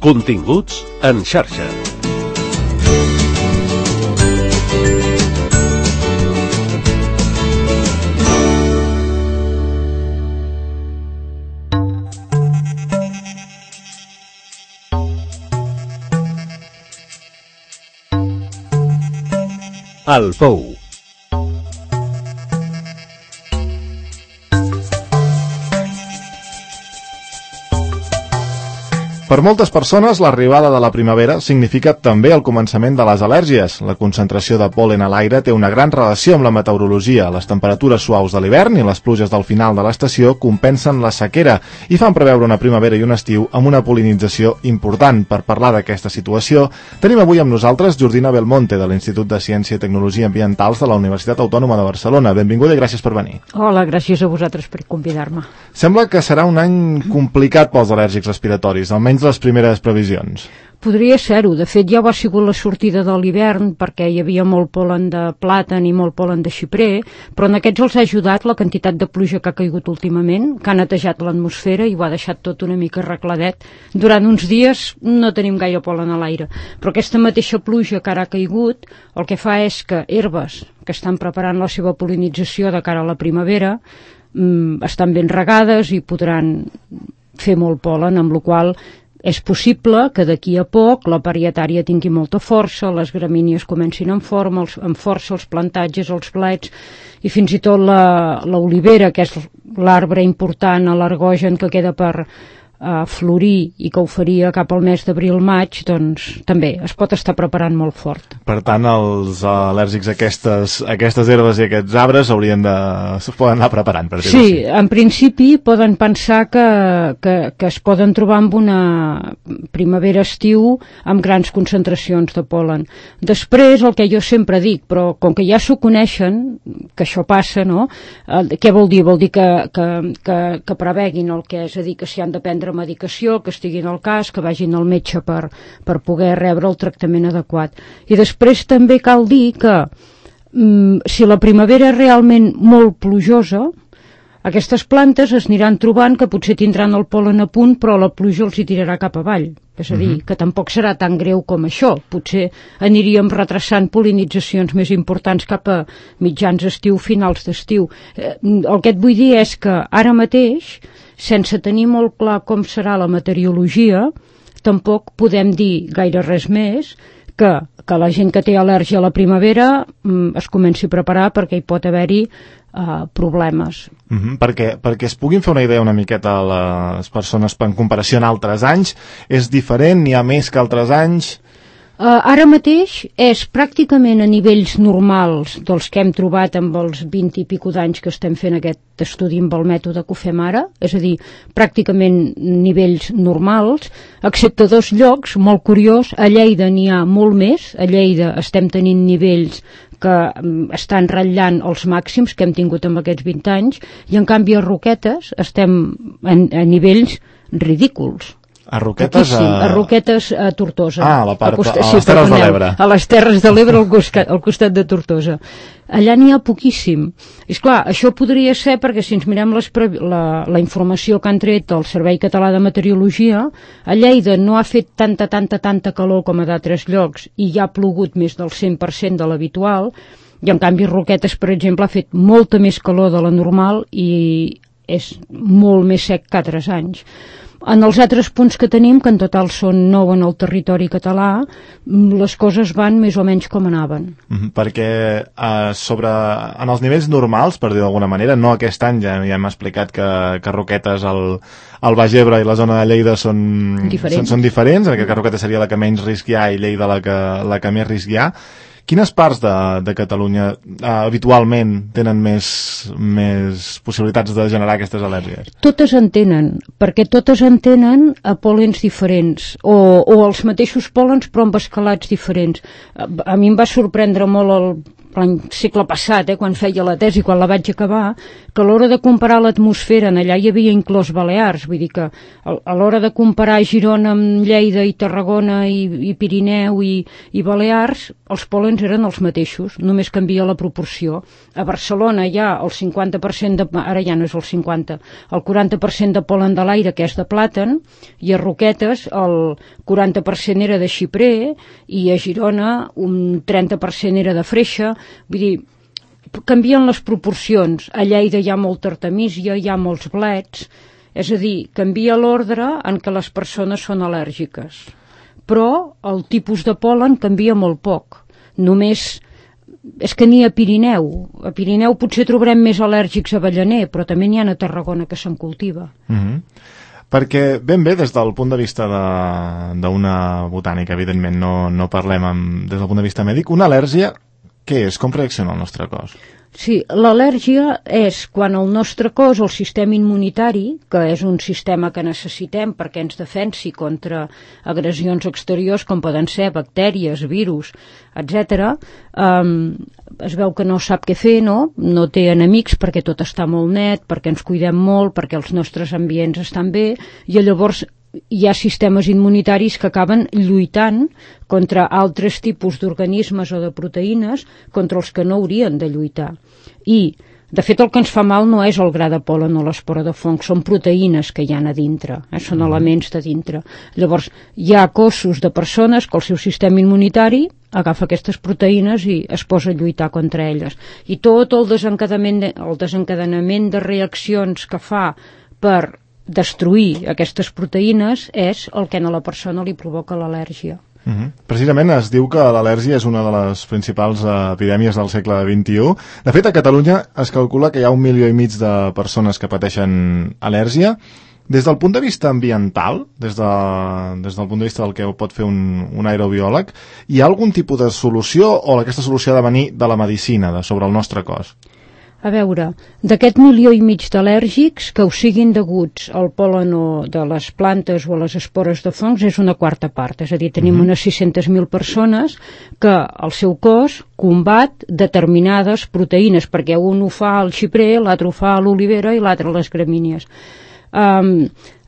Continguts en xarxa. El Pou. Per moltes persones, l'arribada de la primavera significa també el començament de les al·lèrgies. La concentració de pol·len a l'aire té una gran relació amb la meteorologia. Les temperatures suaus de l'hivern i les pluges del final de l'estació compensen la sequera i fan preveure una primavera i un estiu amb una pol·linització important. Per parlar d'aquesta situació, tenim avui amb nosaltres Jordina Belmonte, de l'Institut de Ciència i Tecnologia Ambientals de la Universitat Autònoma de Barcelona. Benvinguda i gràcies per venir. Hola, gràcies a vosaltres per convidar-me. Sembla que serà un any complicat pels al·lèrgics respiratoris, almenys les primeres previsions. Podria ser-ho. De fet, ja ho ha sigut la sortida de l'hivern perquè hi havia molt pol·len de plàtan i molt pol·len de xiprer, però en aquests els ha ajudat la quantitat de pluja que ha caigut últimament, que ha netejat l'atmosfera i ho ha deixat tot una mica arregladet. Durant uns dies no tenim gaire pol·len a l'aire, però aquesta mateixa pluja que ara ha caigut el que fa és que herbes que estan preparant la seva pol·linització de cara a la primavera estan ben regades i podran fer molt pol·len, amb la qual és possible que d'aquí a poc la parietària tingui molta força, les gramínies comencin amb força, els plantatges, els blets i fins i tot l'olivera, que és l'arbre important, l'alergogen que queda per florir i que ho faria cap al mes d'abril-maig, doncs també es pot estar preparant molt fort. Per tant, els al·lèrgics a aquestes herbes i aquests arbres es poden anar preparant, per dir-ho així. Sí, en principi poden pensar que es poden trobar amb una primavera-estiu amb grans concentracions de pol·len. Després, el que jo sempre dic, però com que ja s'ho coneixen, que això passa, no? Què vol dir? Vol dir que preveguin el que és a dir, que s'hi han de prendre medicació, que estiguin al cas, que vagin al metge per poder rebre el tractament adequat. I després també cal dir que si la primavera és realment molt plujosa, aquestes plantes es aniran trobant que potser tindran el pol·len a punt, però la pluja els hi tirarà cap avall. És a dir, que tampoc serà tan greu com això. Potser aniríem retrasant pol·linitzacions més importants cap a mitjans estiu, finals d'estiu. El que et vull dir és que ara mateix, sense tenir molt clar com serà la meteorologia, tampoc podem dir gaire res més que la gent que té al·lèrgia a la primavera es comenci a preparar perquè hi pot haver-hi problemes. Perquè es puguin fer una idea una miqueta a les persones en comparació amb altres anys, és diferent, n'hi ha més que altres anys? Ara mateix és pràcticament a nivells normals dels que hem trobat amb els 20 i pico d'anys que estem fent aquest estudi amb el mètode que ho fem ara, és a dir, pràcticament nivells normals, excepte dos llocs, molt curiós, a Lleida n'hi ha molt més, a Lleida estem tenint nivells que estan ratllant els màxims que hem tingut en aquests 20 anys, i en canvi a Roquetes estem a nivells ridículs. A Roquetes? A Roquetes, a Tortosa. A les Terres de l'Ebre. A les Terres de l'Ebre, al costat de Tortosa. Allà n'hi ha poquíssim. És clar, això podria ser perquè si ens mirem la informació que han tret el Servei Català de Meteorologia, a Lleida no ha fet tanta calor com a d'altres llocs i ja ha plogut més del 100% de l'habitual, i en canvi Roquetes, per exemple, ha fet molta més calor de la normal i és molt més sec que altres anys. En els altres punts que tenim, que en total són 9 en el territori català, les coses van més o menys com anaven. Perquè en els nivells normals, per dir d'alguna manera, no aquest any, ja hem explicat que Roquetes, el Baix Ebre i la zona de Lleida són diferents, en aquest cas Roquetes seria la que menys risc hi ha i Lleida la que més risc hi ha. Quines parts de Catalunya habitualment tenen més possibilitats de generar aquestes al·lèrgies? Totes en tenen, perquè totes en tenen a pol·lens diferents, o els mateixos pol·lens però amb escalats diferents. A mi em va sorprendre molt l'any segle passat, quan feia la tesi, quan la vaig acabar, que a l'hora de comparar l'atmosfera, allà hi havia inclòs Balears, vull dir que a l'hora de comparar Girona amb Lleida i Tarragona i Pirineu i Balears, els pòlens eren els mateixos, només canvia la proporció. A Barcelona hi ha el 50%, ara ja no és el 50%, el 40% de pol·len de l'aire, que és de plàtan, i a Roquetes el 40% era de xiprer, i a Girona un 30% era de freixa, vull dir, canvien les proporcions. A Lleida hi ha molta artemísia, hi ha molts blets, és a dir, canvia l'ordre en què les persones són al·lèrgiques. Però el tipus de pol·len canvia molt poc. Només, és que ni a Pirineu. A Pirineu potser trobarem més al·lèrgics a avellaner, però també n'hi ha a Tarragona que se'n cultiva. Perquè ben bé, des del punt de vista d'una botànica, evidentment no parlem des del punt de vista mèdic, una al·lèrgia, què és? Com reacciona el nostre cos? Sí, l'al·lèrgia és quan el nostre cos, el sistema immunitari, que és un sistema que necessitem perquè ens defensi contra agressions exteriors com poden ser bactèries, virus, etc., es veu que no sap què fer, no té enemics perquè tot està molt net, perquè ens cuidem molt, perquè els nostres ambients estan bé, i llavors hi ha sistemes immunitaris que acaben lluitant contra altres tipus d'organismes o de proteïnes contra els que no haurien de lluitar. I, de fet, el que ens fa mal no és el gra de pol·len o l'espora de fong, són proteïnes que hi ha a dintre, són elements de dintre. Llavors, hi ha cossos de persones que el seu sistema immunitari agafa aquestes proteïnes i es posa a lluitar contra elles. I tot el desencadenament de reaccions que fa per destruir aquestes proteïnes és el que a la persona li provoca l'al·lèrgia. Precisament es diu que l'al·lèrgia és una de les principals epidèmies del segle XXI. De fet, a Catalunya es calcula que hi ha 1,5 milió de persones que pateixen al·lèrgia. Des del punt de vista ambiental, des del punt de vista del que pot fer un aerobiòleg, hi ha algun tipus de solució o aquesta solució ha de venir de la medicina, sobre el nostre cos? A veure, d'aquest 1,5 milió d'al·lèrgics que ho siguin deguts al pol·len de les plantes o a les espores de fongs és una quarta part, és a dir, tenim unes 600.000 persones que el seu cos combat determinades proteïnes, perquè un ho fa al xiprer, l'altre ho fa a l'olivera i l'altre a les gramínies.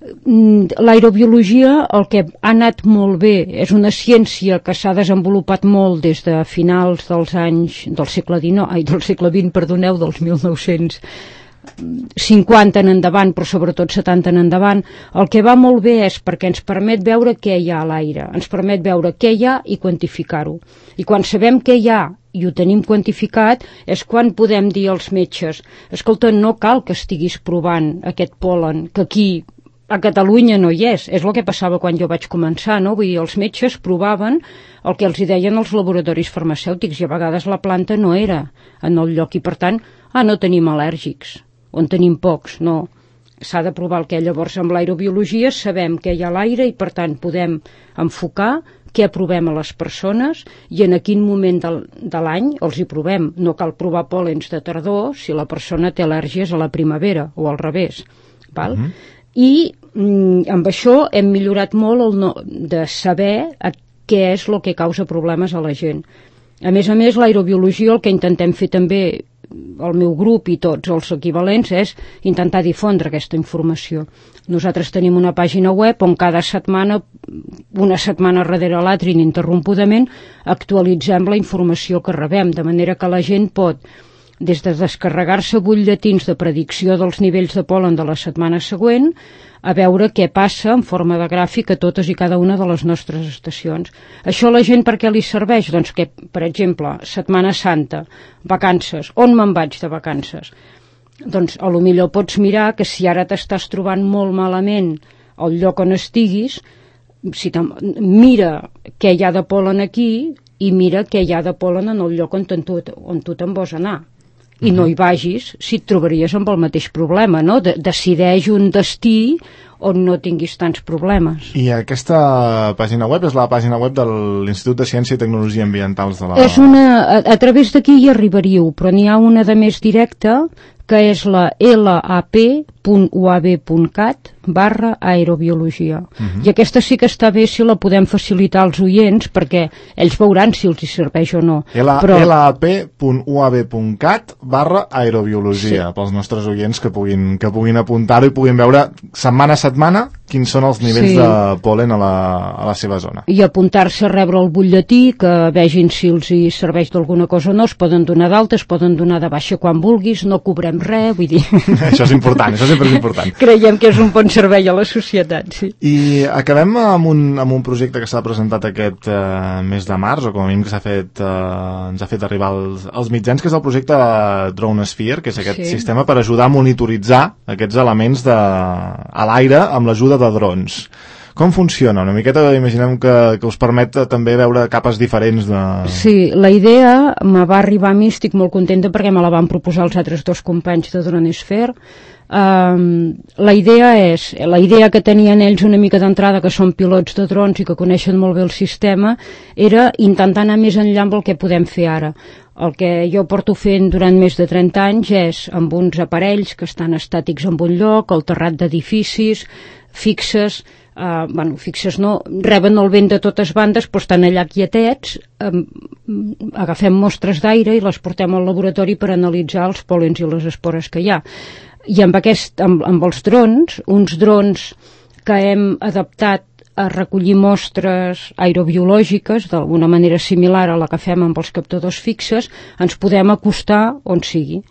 L'aerobiologia, el que ha anat molt bé, és una ciència que s'ha desenvolupat molt des de finals dels segle XX, dels 1950 en endavant, però sobretot 70 en endavant. El que va molt bé és perquè ens permet veure què hi ha a l'aire, ens permet veure què hi ha i quantificar-ho. I quan sabem què hi ha i ho tenim quantificat, és quan podem dir als metges: escolta, no cal que estiguis provant aquest pol·len, que aquí a Catalunya no hi és el que passava quan jo vaig començar, Vull dir, els metges provaven el que els hi deien els laboratoris farmacèutics i a vegades la planta no era en el lloc i per tant, no tenim al·lèrgics, on tenim pocs, no. S'ha de provar el que llavors amb l'aerobiologia sabem què hi ha a l'aire i per tant podem enfocar què provem a les persones i en quin moment de l'any els hi provem. No cal provar pòl·lens de tardor si la persona té al·lèrgies a la primavera o al revés, val? I amb això hem millorat molt de saber què és el que causa problemes a la gent. A més, l'aerobiologia, el que intentem fer també el meu grup i tots els equivalents és intentar difondre aquesta informació. Nosaltres tenim una pàgina web on cada setmana, una setmana darrere l'altra ininterrompudament, actualitzem la informació que rebem, de manera que la gent pot, des de descarregar-se butlletins de predicció dels nivells de pol·len de la setmana següent, a veure què passa en forma de gràfic a totes i cada una de les nostres estacions. Això a la gent per què li serveix? Doncs que, per exemple, Setmana Santa, vacances, on me'n vaig de vacances? Doncs a lo millor pots mirar que si ara t'estàs trobant molt malament al lloc on estiguis, mira què hi ha de pol·len aquí i mira què hi ha de pol·len en el lloc on tu te'n vols anar. I no hi vagis si et trobaries amb el mateix problema, no? Decideix un destí on no tinguis tants problemes. I aquesta pàgina web és la pàgina web de l'Institut de Ciència i Tecnologia Ambientals de la... A través d'aquí hi arribaríeu, però n'hi ha una de més directa, que és la lap.uab.cat, www.aerobiologia. I aquesta sí que està bé si la podem facilitar als oients, perquè ells veuran si els hi serveix o no. lap.uab.cat/aerobiologia, pels nostres oients que puguin apuntar-ho i puguin veure setmana a setmana quins són els nivells de pol·len a la seva zona. I apuntar-se a rebre el butlletí, que vegin si els hi serveix d'alguna cosa o no, es poden donar d'alta, es poden donar de baixa quan vulguis, no cobrem res, vull dir... Això és important, això sempre és important. Creiem que és un bon servei a la societat, sí. I acabem amb un projecte que s'ha presentat aquest mes de març, o com a mínim que ens ha fet arribar als mitjans, que és el projecte DroneSphere, que és aquest sistema per ajudar a monitoritzar aquests elements a l'aire amb l'ajuda de drons. Com funciona? Una miqueta imaginem que us permet també veure capes diferents de... Sí, la idea me va arribar a mi, estic molt contenta perquè me la van proposar els altres dos companys de DroneSphere. La idea que tenien ells una mica d'entrada, que són pilots de drons i que coneixen molt bé el sistema, era intentar anar més enllà amb el que podem fer ara. El que jo porto fent durant més de 30 anys és amb uns aparells que estan estàtics en un lloc, al terrat d'edificis, fixes no, reben el vent de totes bandes, però estan allà quietets, agafem mostres d'aire i les portem al laboratori per analitzar els pol·lens i les espores que hi ha. I amb els drons, uns drons que hem adaptat a recollir mostres aerobiològiques d'alguna manera similar a la que fem amb els captadors fixes, ens podem acostar on sigui.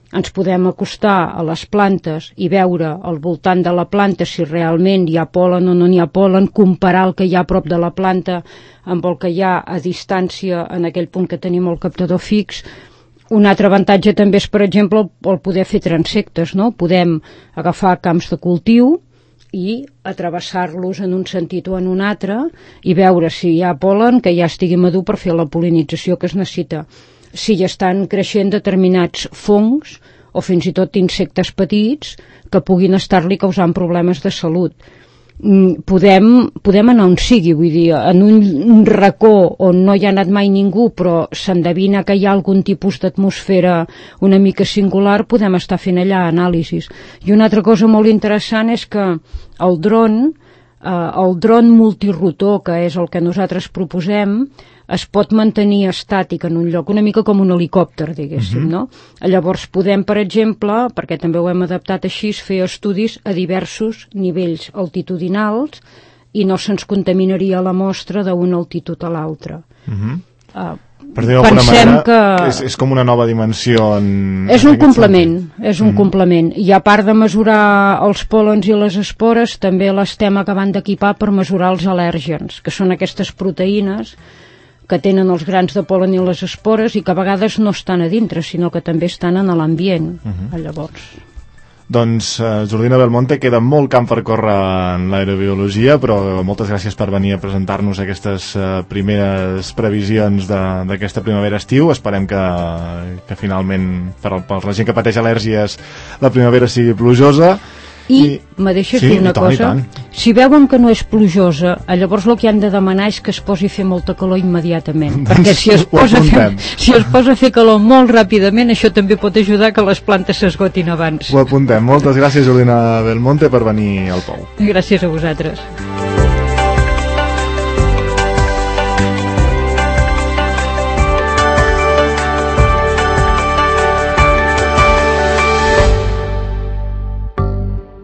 Ens podem acostar a les plantes i veure al voltant de la planta si realment hi ha pol·len o no n'hi ha pol·len, comparar el que hi ha a prop de la planta amb el que hi ha a distància en aquell punt que tenim el captador fix. Un altre avantatge també és, per exemple, el poder fer transectes, no? Podem agafar camps de cultiu i atravessar-los en un sentit o en un altre i veure si hi ha pol·len que ja estigui madur per fer la pol·linització que es necessita. Si hi estan creixent determinats fongs o fins i tot insectes petits que puguin estar-li causant problemes de salut. Podem anar on sigui, vull dir, en un racó on no hi ha anat mai ningú però s'endevina que hi ha algun tipus d'atmosfera una mica singular, podem estar fent allà anàlisis. I una altra cosa molt interessant és que el dron multirotor, que és el que nosaltres proposem, es pot mantenir estàtic en un lloc, una mica com un helicòpter, diguéssim, no? Llavors podem, per exemple, perquè també ho hem adaptat així, fer estudis a diversos nivells altitudinals i no se'ns contaminaria la mostra d'una altitud a l'altra. Per dir d'alguna manera, és com una nova dimensió. És un complement. I a part de mesurar els pol·lens i les espores, també l'estem acabant d'equipar per mesurar els al·lèrgens, que són aquestes proteïnes que tenen els grans de pol·len i les espores i que a vegades no estan a dintre, sinó que també estan en l'ambient. Llavors... Doncs, Jordina Belmonte, queda molt camp per córrer en l'aerobiologia, però moltes gràcies per venir a presentar-nos aquestes primeres previsions d'aquesta primavera-estiu. Esperem que finalment, per la gent que pateix al·lèrgies, la primavera sigui plujosa. I me deixes dir una cosa? Si veuen que no és plujosa, llavors el que han de demanar és que es posi a fer molta calor immediatament. Perquè si es posa a fer calor molt ràpidament, això també pot ajudar que les plantes s'esgotin abans. Ho apuntem. Moltes gràcies, Jordina Belmonte, per venir al Pou. Gràcies a vosaltres.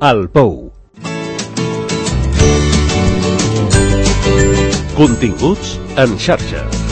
El Pou. Continguts en xarxa.